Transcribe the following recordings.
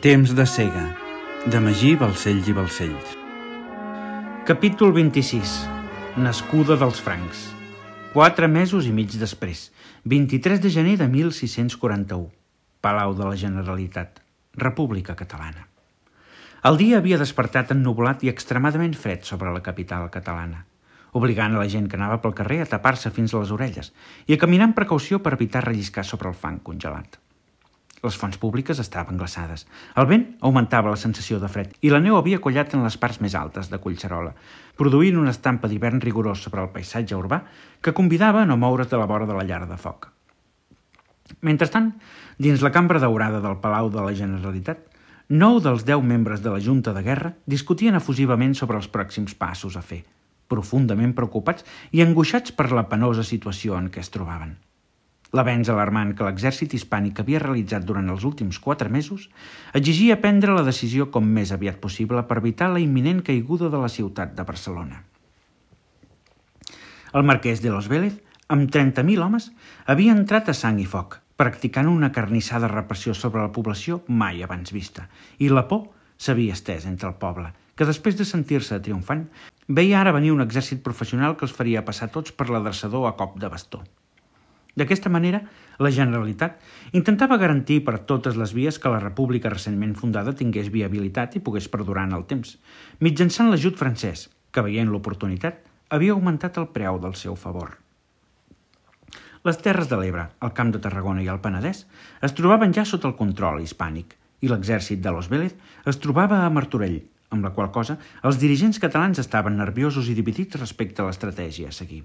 Temps de cega, de Magí Balcells i Balcells. Capítol 26. Nascuda dels francs. 4 mesos i mig després, 23 de gener de 1641. Palau de la Generalitat, República Catalana. El dia havia despertat ennuvolat i extremadament fred sobre la capital catalana, obligant a la gent que anava pel carrer a tapar-se fins a les orelles i a caminar amb precaució per evitar relliscar sobre el fang congelat. Les fonts públiques estaven glaçades. El vent augmentava la sensació de fred i la neu havia collat en les parts més altes de Collserola, produint una estampa d'hivern rigorós sobre el paisatge urbà que convidava a no moure's de la vora de la llar de foc. Mentrestant, dins la cambra daurada del Palau de la Generalitat, 9 dels 10 membres de la Junta de Guerra discutien efusivament sobre els pròxims passos a fer, profundament preocupats i angoixats per la penosa situació en què es trobaven. L'avenç alarmant que l'exèrcit hispànic havia realitzat durant els últims 4 mesos exigia prendre la decisió com més aviat possible per evitar la imminent caiguda de la ciutat de Barcelona. El marquès de Los Vélez, amb 30.000 homes, havia entrat a sang i foc, practicant una carnissada repressió sobre la població mai abans vista, i la por s'havia estès entre el poble, que després de sentir-se triomfant, veia ara venir un exèrcit professional que els faria passar tots per l'adreçador a cop de bastó. D'aquesta manera, la Generalitat intentava garantir per totes les vies que la república recentment fundada tingués viabilitat i pogués perdurar en el temps, mitjançant l'ajut francès, que veient l'oportunitat, havia augmentat el preu del seu favor. Les terres de l'Ebre, el Camp de Tarragona i el Penedès es trobaven ja sota el control hispànic i l'exèrcit de Los Vélez es trobava a Martorell, amb la qual cosa els dirigents catalans estaven nerviosos i dividits respecte a l'estratègia a seguir.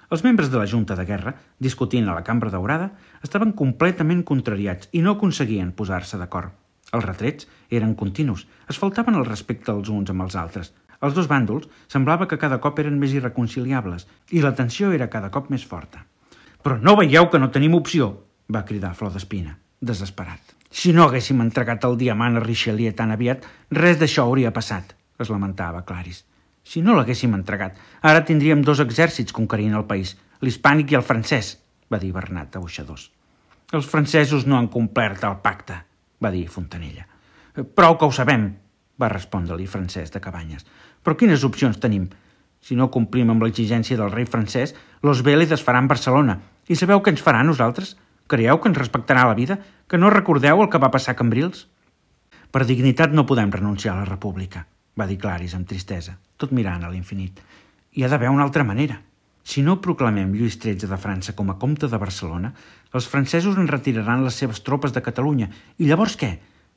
Els membres de la Junta de Guerra, discutint a la Cambra Daurada, estaven completament contrariats i no aconseguien posar-se d'acord. Els retrets eren continus, es faltaven el respecte els uns amb els altres. Els dos bàndols semblava que cada cop eren més irreconciliables i la tensió era cada cop més forta. «Però no veieu que no tenim opció!», va cridar Flor d'Espina, desesperat. «Si no haguéssim entregat el diamant a Richelieu tan aviat, res d'això hauria passat», es lamentava Claris. «Si no l'haguéssim entregat, ara tindríem 2 exèrcits conquerint el país, l'hispànic i el francès», va dir Bernat de Boixadors. «Els francesos no han complert el pacte», va dir Fontanella. «Prou que ho sabem», va respondre-li Francesc de Cabanyes. «Però quines opcions tenim? Si no complim amb l'exigència del rei francès, Los Vélez es farà en Barcelona. I sabeu què ens farà a nosaltres? Creieu que ens respectarà la vida? Que no recordeu el que va passar a Cambrils?» «Per dignitat no podem renunciar a la república», va dir Claris amb tristesa, tot mirant a l'infinit. «Hi ha d'haver una altra manera. Si no proclamem Lluís XIII de França com a comte de Barcelona, els francesos en retiraran les seves tropes de Catalunya. I llavors què?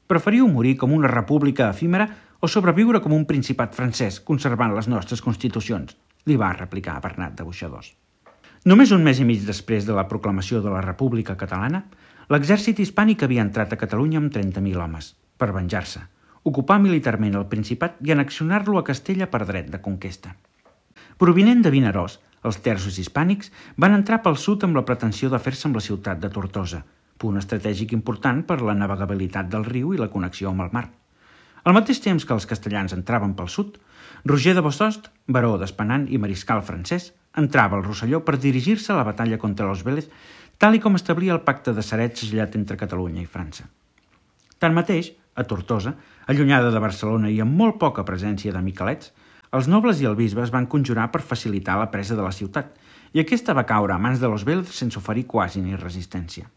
Preferiu morir com una república efímera o sobreviure com un principat francès, conservant les nostres constitucions?» li va replicar Bernat de Boixadors. Només un mes i mig després de la proclamació de la República Catalana, l'exèrcit hispànic havia entrat a Catalunya amb 30.000 homes, per venjar-se, ocupar militarment el Principat i annexionar-lo a Castella per dret de conquesta. Provinent de Vinaròs, els terços hispànics van entrar pel sud amb la pretensió de fer-se amb la ciutat de Tortosa, punt estratègic important per la navegabilitat del riu i la connexió amb el mar. Al mateix temps que els castellans entraven pel sud, Roger de Bossost, baró d'Espanant i mariscal francès, entrava al Rosselló per dirigir-se a la batalla contra Los Vélez, tal i com establia el pacte de Ceret segellat entre Catalunya i França. Tanmateix, a Tortosa, allunyada de Barcelona i amb molt poca presència de miquelets, els nobles i el bisbe es van conjurar per facilitar la presa de la ciutat, i aquesta va caure a mans de Los Vélez sense oferir quasi ni resistència.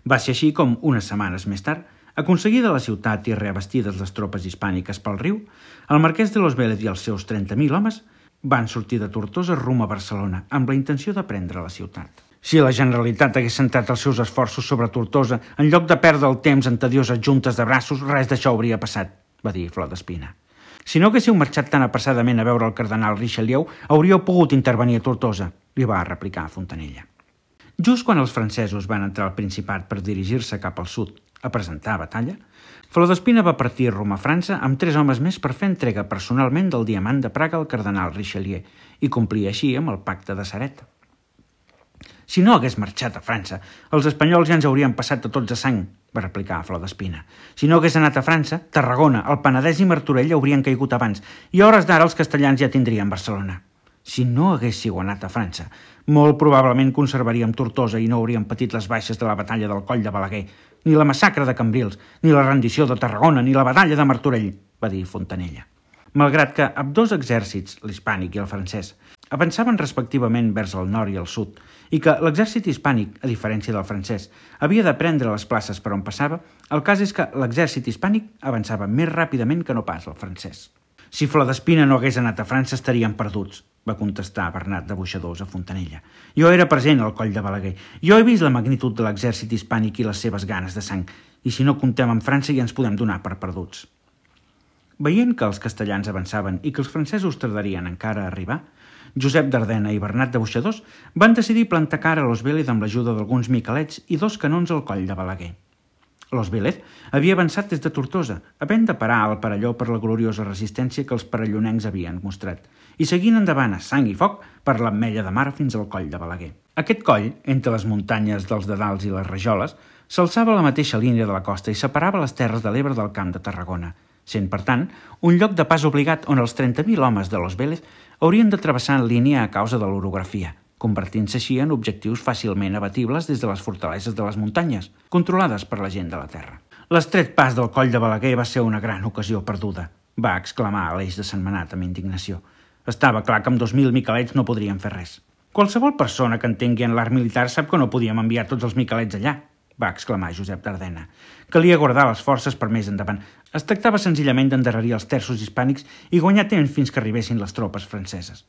Va ser així com, unes setmanes més tard, aconseguida la ciutat i reabestides les tropes hispàniques pel riu, el marquès de Los Vélez i els seus 30.000 homes van sortir de Tortosa rumb a Barcelona amb la intenció de prendre la ciutat. «Si la Generalitat hagués centrat els seus esforços sobre Tortosa, en lloc de perdre el temps en tedioses juntes de braços, res d'això hauria passat», va dir Flor d'Espina. «Si no haguéssiu marxat tan apressadament a veure el cardenal Richelieu, hauríeu pogut intervenir a Tortosa», li va replicar Fontanella. Just quan els francesos van entrar al Principat per dirigir-se cap al sud a presentar batalla, Flor d'Espina va partir rumb a França amb 3 homes més per fer entrega personalment del diamant de Praga al cardenal Richelieu i complir així amb el pacte de Ceret. «Si no hagués marxat a França, els espanyols ja ens haurien passat a tots a sang», va replicar Flor d'Espina. «Si no hagués anat a França, Tarragona, el Penedès i Martorell haurien caigut abans, i a hores d'ara els castellans ja tindrien Barcelona. Si no haguéssiu anat a França, molt probablement conservaríem Tortosa i no hauríem patit les baixes de la batalla del Coll de Balaguer, ni la massacre de Cambrils, ni la rendició de Tarragona, ni la batalla de Martorell, va dir Fontanella. Malgrat que ambdós exèrcits, l'hispànic i el francès, avançaven respectivament vers el nord i el sud, i que l'exèrcit hispànic, a diferència del francès, havia de prendre les places per on passava, el cas és que l'exèrcit hispànic avançava més ràpidament que no pas el francès. Si Florespina no hagués anat a França estaríem perduts, va contestar Bernat de Boixadors a Fontanella. Jo era present al Coll de Balaguer. Jo he vist la magnitud de l'exèrcit hispànic i les seves ganes de sang, i si no comptem amb França ja ens podem donar per perduts. Veient que els castellans avançaven i que els francesos tardarien encara a arribar, Josep d'Ardena i Bernat de Boixadors van decidir plantar cara a Los Vélez amb l'ajuda d'alguns miquelets i 2 canons al Coll de Balaguer. Los Vélez havia avançat des de Tortosa, havent de parar al Perelló per la gloriosa resistència que els perellonencs havien mostrat, i seguint endavant a sang i foc per l'Ametlla de Mar fins al Coll de Balaguer. Aquest coll, entre les muntanyes dels Dedals i les Rajoles, s'alçava a la mateixa línia de la costa i separava les Terres de l'Ebre del Camp de Tarragona, sent, per tant, un lloc de pas obligat on els 30.000 homes de Los Vélez haurien de travessar en línia a causa de l'orografia, convertint-se així en objectius fàcilment abatibles des de les fortaleses de les muntanyes, controlades per la gent de la terra. L'estret pas del Coll de Balaguer va ser una gran ocasió perduda, va exclamar Aleix de Sentmenat amb indignació. Estava clar que amb 2.000 miquelets no podríem fer res. Qualsevol persona que entengui en l'art militar sap que no podíem enviar tots els miquelets allà, va exclamar Josep d'Ardena. Calia guardar les forces per més endavant. Es tractava senzillament d'endarrerir els terços hispànics i guanyar temps fins que arribessin les tropes franceses.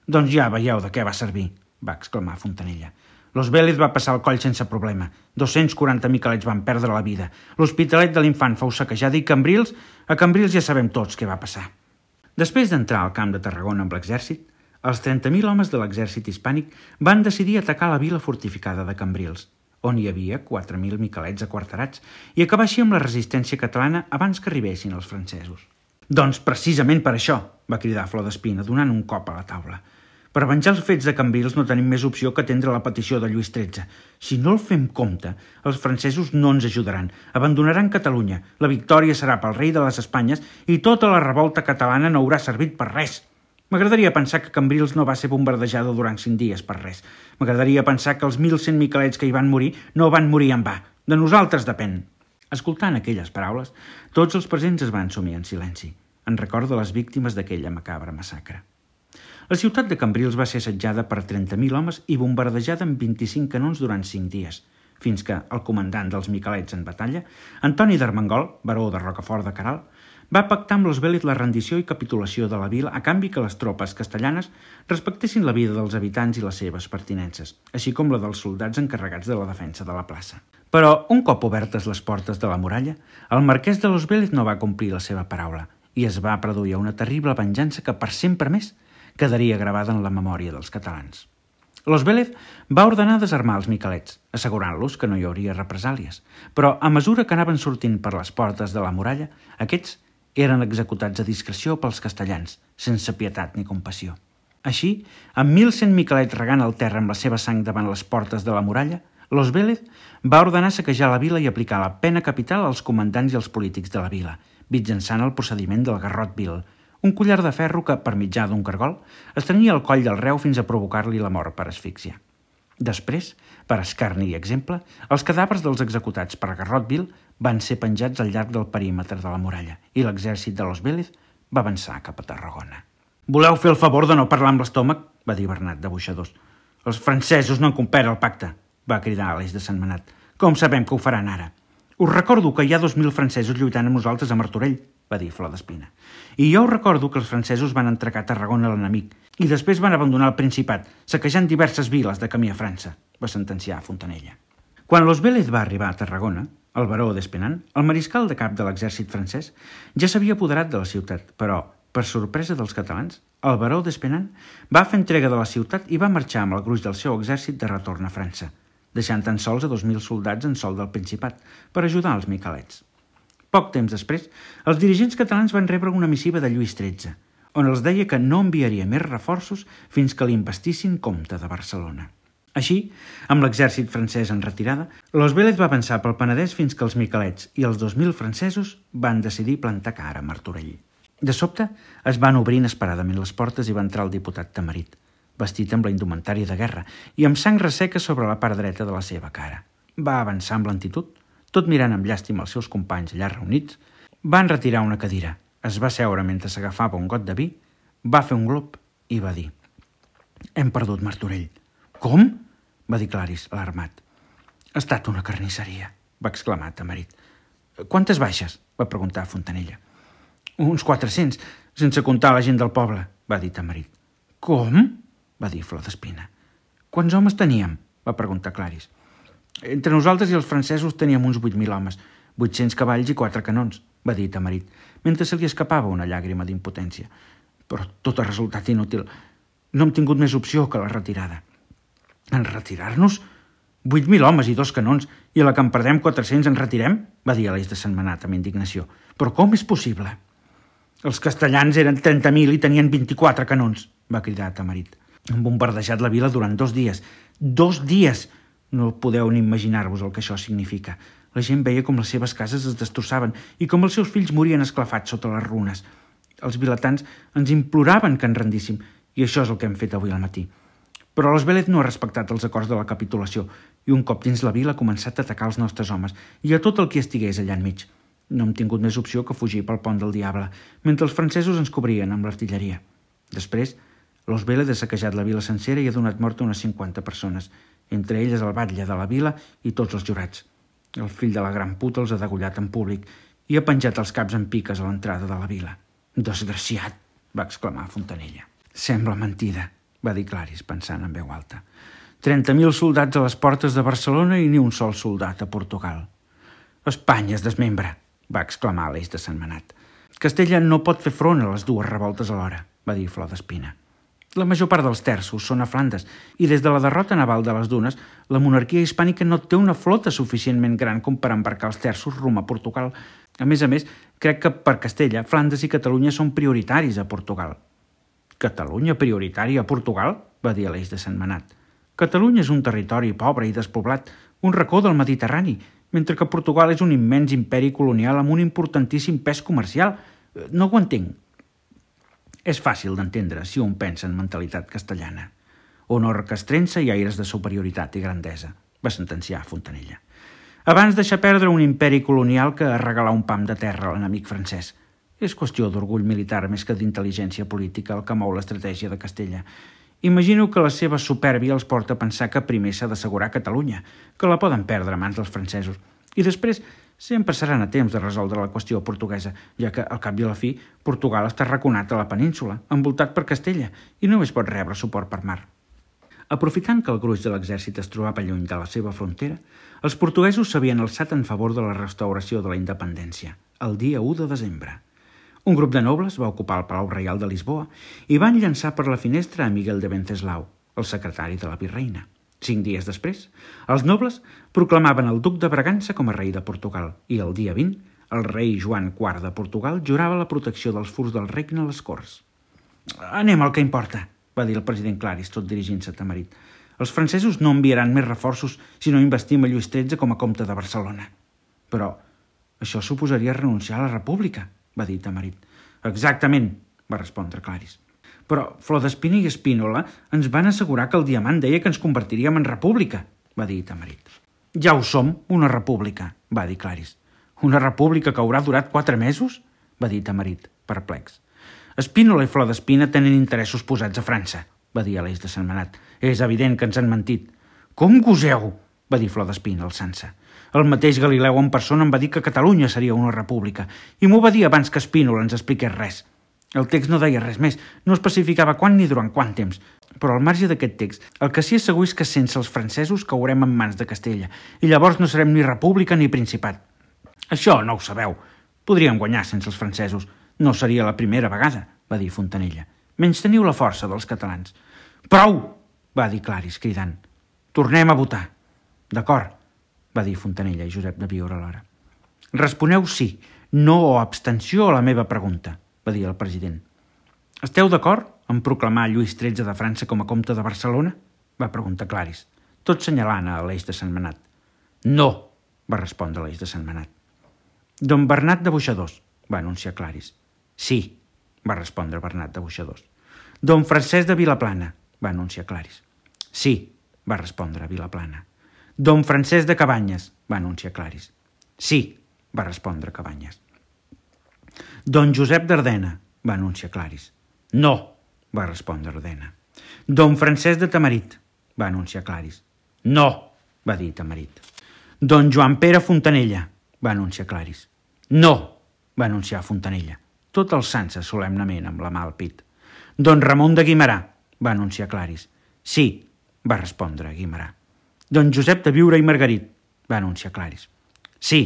Doncs ja veieu de què va servir, va exclamar Fontanella. Los Vélez va passar el coll sense problema. 240 miquelets van perdre la vida. L'Hospitalet de l'Infant fou saquejada i a Cambrils ja sabem tots què va passar. Després d'entrar al camp de Tarragona amb l'exèrcit, els 30.000 homes de l'exèrcit hispànic van decidir atacar la vila fortificada de Cambrils, on hi havia 4.000 miquelets aquarterats, i acabar així amb la resistència catalana abans que arribessin els francesos. Doncs precisament per això, va cridar Florespina, donant un cop a la taula. Per venjar els fets de Cambrils no tenim més opció que atendre la petició de Lluís XIII. Si no el fem compte, els francesos no ens ajudaran, abandonaran Catalunya, la victòria serà pel rei de les Espanyes i tota la revolta catalana no haurà servit per res. M'agradaria pensar que Cambrils no va ser bombardejada durant 5 dies per res. M'agradaria pensar que els 1.100 miquelets que hi van morir no van morir en va. De nosaltres depèn. Escoltant aquelles paraules, tots els presents es van sumir en silenci, en record de les víctimes d'aquella macabra massacre. La ciutat de Cambrils va ser assetjada per 30.000 homes i bombardejada amb 25 canons durant 5 dies, fins que el comandant dels miquelets en batalla, Antoni d'Armengol, baró de Rocafort de Queralt, va pactar amb Los Vélez la rendició i capitulació de la vila a canvi que les tropes castellanes respectessin la vida dels habitants i les seves pertinences, així com la dels soldats encarregats de la defensa de la plaça. Però, un cop obertes les portes de la muralla, el marquès de Los Vélez no va complir la seva paraula i es va produir una terrible venjança que per sempre més quedaria gravada en la memòria dels catalans. Los Vélez va ordenar desarmar els miquelets, assegurant-los que no hi hauria represàlies, però a mesura que anaven sortint per les portes de la muralla, aquests eren executats a discreció pels castellans, sense pietat ni compassió. Així, amb 1.100 miquelets regant el terra amb la seva sang davant les portes de la muralla, Los Vélez va ordenar saquejar la vila i aplicar la pena capital als comandants i als polítics de la vila, mitjançant el procediment del garrot vil, un collar de ferro que, per mitjà d'un cargol, estrenia el coll del reu fins a provocar-li la mort per asfíxia. Després, per escarni i exemple, els cadàvers dels executats per garrot vil van ser penjats al llarg del perímetre de la muralla i l'exèrcit de Los Vélez va avançar cap a Tarragona. «Voleu fer el favor de no parlar amb l'estómac?», va dir Bernat de Boixadors. «Els francesos no han complert el pacte», va cridar Aleix de Sentmenat. «Com sabem que ho faran ara? Us recordo que hi ha 2.000 francesos lluitant amb nosaltres a Martorell», va dir Florespina. «I jo recordo que els francesos van entregar Tarragona a l'enemic i després van abandonar el Principat, saquejant diverses viles de camí a França», va sentenciar Fontanella. Quan Los Vélez va arribar a Tarragona, el baró d'Espenant, el mariscal de cap de l'exèrcit francès, ja s'havia apoderat de la ciutat, però, per sorpresa dels catalans, el baró d'Espenant va fer entrega de la ciutat i va marxar amb el gruix del seu exèrcit de retorn a França, deixant tan sols a 2.000 soldats en sol del Principat per ajudar els miquelets. Poc temps després, els dirigents catalans van rebre una missiva de Lluís XIII, on els deia que no enviaria més reforços fins que l'investissin comte de Barcelona. Així, amb l'exèrcit francès en retirada, Los Vélez va avançar pel Penedès fins que els miquelets i els 2.000 francesos van decidir plantar cara a Martorell. De sobte es van obrir inesperadament les portes i va entrar el diputat Tamarit, vestit amb la indumentària de guerra i amb sang resseca sobre la part dreta de la seva cara. Va avançar amb lentitud, tot mirant amb llàstima els seus companys allà reunits, va enretirar una cadira, es va seure mentre s'agafava un got de vi, va fer un glop i va dir: «Hem perdut Martorell». «Com?», va dir Claris, alarmat. «Ha estat una carnisseria», va exclamar Tamarit. «Quantes baixes?», va preguntar Fontanella. «Uns 400, sense comptar la gent del poble», va dir Tamarit. «Com?», va dir Flor d'Espina. «Quants homes teníem?», va preguntar Claris. «Entre nosaltres i els francesos teníem uns 8.000 homes, 800 cavalls i 4 canons», va dir Tamarit, mentre se li escapava una llàgrima d'impotència. «Però tot ha resultat inútil. No hem tingut més opció que la retirada». «En retirar-nos? 8.000 homes i 2 canons, i a la que en perdem 400 ens retirem?», va dir Aleix de Sentmenat amb indignació. «Però com és possible?» «Els castellans eren 30.000 i tenien 24 canons», va cridar Tamarit. «Han bombardejat la vila durant 2 dies. 2 dies! No podeu ni imaginar-vos el que això significa. La gent veia com les seves cases es destrossaven i com els seus fills morien esclafats sota les runes. Els vilatans ens imploraven que ens rendíssim, i això és el que hem fet avui al matí. Però l'Esbelez no ha respectat els acords de la capitulació i un cop dins la vila ha començat a atacar els nostres homes i a tot el qui estigués allà enmig. No hem tingut més opció que fugir pel pont del Diable, mentre els francesos ens cobrien amb l'artilleria. Després, l'Esbelez ha saquejat la vila sencera i ha donat mort a unes 50 persones, entre elles el batlle de la vila i tots els jurats. El fill de la gran puta els ha degollat en públic i ha penjat els caps en piques a l'entrada de la vila. «Desgraciat!», va exclamar Fontanella. «Sembla mentida», va dir Claris, pensant en veu alta. 30.000 soldats a les portes de Barcelona i ni un sol soldat a Portugal. «Espanya es desmembra», va exclamar Aleix de Sentmenat. «Castella no pot fer front a les 2 revoltes alhora», va dir Flor d'Espina. «La major part dels terços són a Flandes i des de la derrota naval de les Dunes la monarquia hispànica no té una flota suficientment gran com per embarcar els terços rumb a Portugal. A més, crec que per Castella, Flandes i Catalunya són prioritaris a Portugal». «Catalunya prioritària a Portugal?», va dir Aleix de Sentmenat. «Catalunya és un territori pobre i despoblat, un racó del Mediterrani, mentre que Portugal és un immens imperi colonial amb un importantíssim pes comercial. No ho entenc». «És fàcil d'entendre si un pensa en mentalitat castellana. Honor castrense i aires de superioritat i grandesa», va sentenciar Fontanella. «Abans deixar perdre un imperi colonial que regalar un pam de terra a l'enemic francès. És qüestió d'orgull militar més que d'intel·ligència política el que mou l'estratègia de Castella. Imagino que la seva supèrbia els porta a pensar que primer s'ha d'assegurar Catalunya, que la poden perdre a mans dels francesos, i després sempre seran a temps de resoldre la qüestió portuguesa, ja que, al cap i a la fi, Portugal està arraconat a la península, envoltat per Castella, i només pot rebre suport per mar». Aprofitant que el gruix de l'exèrcit es trobava lluny de la seva frontera, els portuguesos s'havien alçat en favor de la restauració de la independència, el dia 1 de desembre. Un grup de nobles va ocupar el Palau Reial de Lisboa i van llançar per la finestra a Miguel de Venceslau, el secretari de la virreina. 5 dies després, els nobles proclamaven el duc de Bragança com a rei de Portugal i el dia 20, el rei Joan IV de Portugal jurava la protecció dels furs del regne a les Corts. «Anem al que importa», va dir el president Claris, tot dirigint-se a Tamarit. «Els francesos no enviaran més reforços si no investim a Lluís XIII com a comte de Barcelona». «Però això suposaria renunciar a la república», va dir Tamarit. «Exactament», va respondre Claris. «Però Flor d'Espina i Espínola ens van assegurar que el diamant deia que ens convertiríem en república», va dir Tamarit. «Ja ho som, una república», va dir Claris. «Una república que haurà durat 4 mesos?», va dir Tamarit, perplex. «Espínola i Flor d'Espina tenen interessos posats a França», va dir Aleix de Sentmenat. «És evident que ens han mentit». «Com goseu?», va dir Flor d'Espina, alçant-se. «El mateix Galileu en persona em va dir que Catalunya seria una república i m'ho va dir abans que Espínola ens expliqués res. El text no deia res més, no especificava quan ni durant quant temps, però al marge d'aquest text, el que sí és segur és que sense els francesos caurem en mans de Castella i llavors no serem ni república ni principat». «Això no ho sabeu. Podríem guanyar sense els francesos. No seria la primera vegada», va dir Fontanella. «Menysteniu la força dels catalans». «Prou!», va dir Claris, cridant. «Tornem a votar». «D'acord», va dir Fontanella i Josep de Biure alhora. «Responeu sí, no o abstenció a la meva pregunta», va dir el president. «Esteu d'acord en proclamar Lluís XIII de França com a comte de Barcelona?», va preguntar Claris, tot senyalant a Aleix de Sentmenat. «No», va respondre Aleix de Sentmenat. «Don Bernat de Boixadors», va anunciar Claris. «Sí», va respondre Bernat de Boixadors. Don Francesc de Vilaplana, va anunciar Claris. Sí, va respondre Vilaplana. Don Francesc de Cabanyes, va anunciar Claris. Sí, va respondre Cabanyes. Don Josep d'Ardena, va anunciar Claris. No, va respondre Ardena. Don Francesc de Tamarit, va anunciar Claris. No, va dir Tamarit. Don Joan Pere Fontanella, va anunciar Claris. No, va anunciar Fontanella, tot alçant-se solemnement amb la mà al pit. Don Ramon de Guimerà, va anunciar Claris. Sí, va respondre Guimerà. Don Josep de Viure i Margarit, va anunciar Claris. Sí,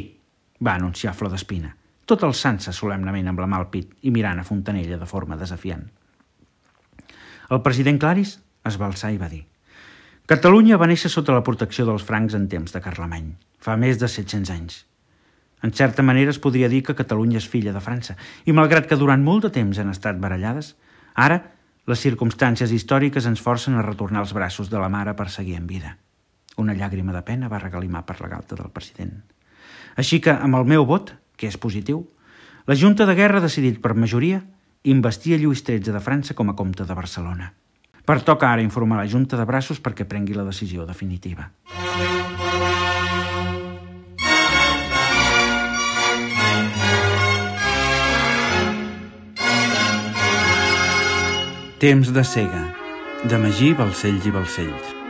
va anunciar Flor d'Espina, tot alçant-se solemnement amb la mà al pit i mirant a Fontanella de forma desafiant. El president Claris es va alçar i va dir: Catalunya va néixer sota la protecció dels francs en temps de Carlemany, fa més de 700 anys. En certa manera es podria dir que Catalunya és filla de França, i malgrat que durant molt de temps han estat barallades, ara les circumstàncies històriques ens forcen a retornar als braços de la mare per seguir en vida. Una llàgrima de pena va regalimar per la galta del president. Així que, amb el meu vot, que és positiu, la Junta de Guerra ha decidit per majoria investir a Lluís XIII de França com a comte de Barcelona. Pertoca ara informar la Junta de Braços perquè prengui la decisió definitiva. Temps de cega, de Magí Balcells i Balcells.